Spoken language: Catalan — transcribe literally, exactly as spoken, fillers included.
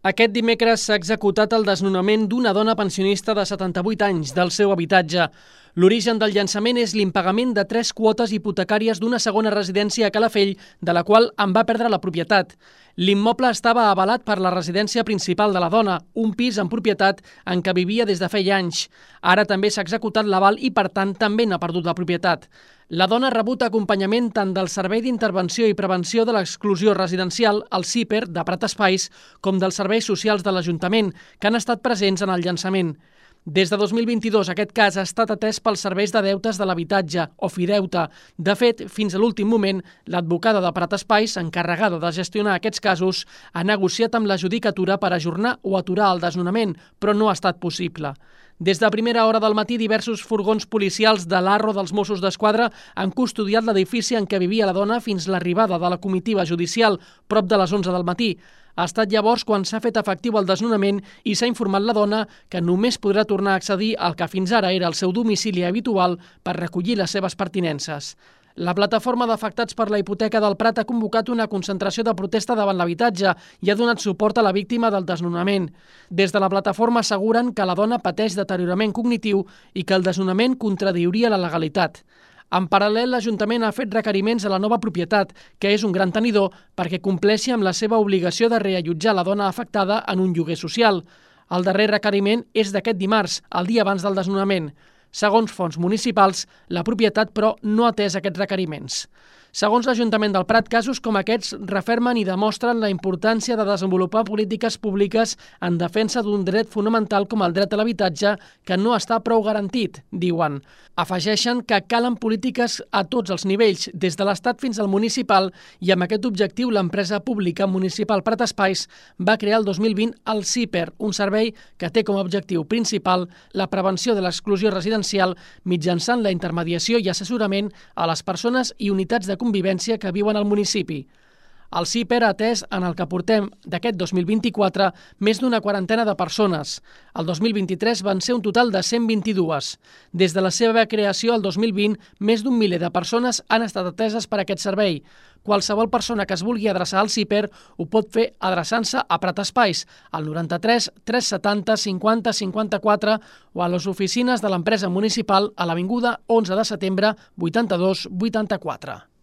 Aquest dimecres s'ha executat el desnonament d'una dona pensionista de setanta-vuit anys del seu habitatge. L'origen del llançament és l'impagament de tres quotes hipotecàries d'una segona residència a Calafell, de la qual en va perdre la propietat. L'immoble estava avalat per la residència principal de la dona, un pis en propietat en què vivia des de feia anys. Ara també s'ha executat l'aval i, per tant, també n'ha perdut la propietat. La dona ha rebut acompanyament tant del Servei d'Intervenció i Prevenció de l'Exclusió Residencial, el C I P E R, de Prat Espais, com dels serveis socials de l'Ajuntament, que han estat presents en el llançament. Des de dos mil vint-i-dos, aquest cas ha estat atès pels serveis de deutes de l'habitatge, o Fideute. De fet, fins a l'últim moment, l'advocada de Prat Espais, encarregada de gestionar aquests casos, ha negociat amb la judicatura per ajornar o aturar el desnonament, però no ha estat possible. Des de primera hora del matí, diversos furgons policials de l'Arro dels Mossos d'Esquadra han custodiat l'edifici en què vivia la dona fins l'arribada de la comitiva judicial, prop de les onze del matí. Ha estat llavors quan s'ha fet efectiu el desnonament i s'ha informat la dona que només podrà tornar a accedir al que fins ara era el seu domicili habitual per recollir les seves pertinences. La plataforma d'afectats per la hipoteca del Prat ha convocat una concentració de protesta davant l'habitatge i ha donat suport a la víctima del desnonament. Des de la plataforma asseguren que la dona pateix deteriorament cognitiu i que el desnonament contradiuria la legalitat. En paral·lel, l'Ajuntament ha fet requeriments a la nova propietat, que és un gran tenidor, perquè compleixi amb la seva obligació de reallotjar la dona afectada en un lloguer social. El darrer requeriment és d'aquest dimarts, el dia abans del desnonament. Segons fonts municipals, la propietat, però, no ha atès aquests requeriments. Segons l'Ajuntament del Prat, casos com aquests refermen i demostren la importància de desenvolupar polítiques públiques en defensa d'un dret fonamental com el dret a l'habitatge, que no està prou garantit, diuen. Afegeixen que calen polítiques a tots els nivells, des de l'Estat fins al municipal, i amb aquest objectiu l'empresa pública municipal Prat Espais va crear el dos mil vint el C I P E R, un servei que té com a objectiu principal la prevenció de l'exclusió residencial mitjançant la intermediació i assessorament a les persones i unitats de convivència que viuen al municipi. El C I P E R ha atès, en el que portem d'aquest dos mil vint-i-quatre, més d'una quarantena de persones. El dos mil vint-i-tres van ser un total de cent vint-i-dues. Des de la seva creació el dos mil vint, més d'un miler de persones han estat ateses per aquest servei. Qualsevol persona que es vulgui adreçar al C I P E R ho pot fer adreçant-se a Prat Espais, al noranta-tres tres setanta cinquanta cinquanta-quatre o a les oficines de l'empresa municipal a l'avinguda onze de setembre vuitanta-dos vuitanta-quatre.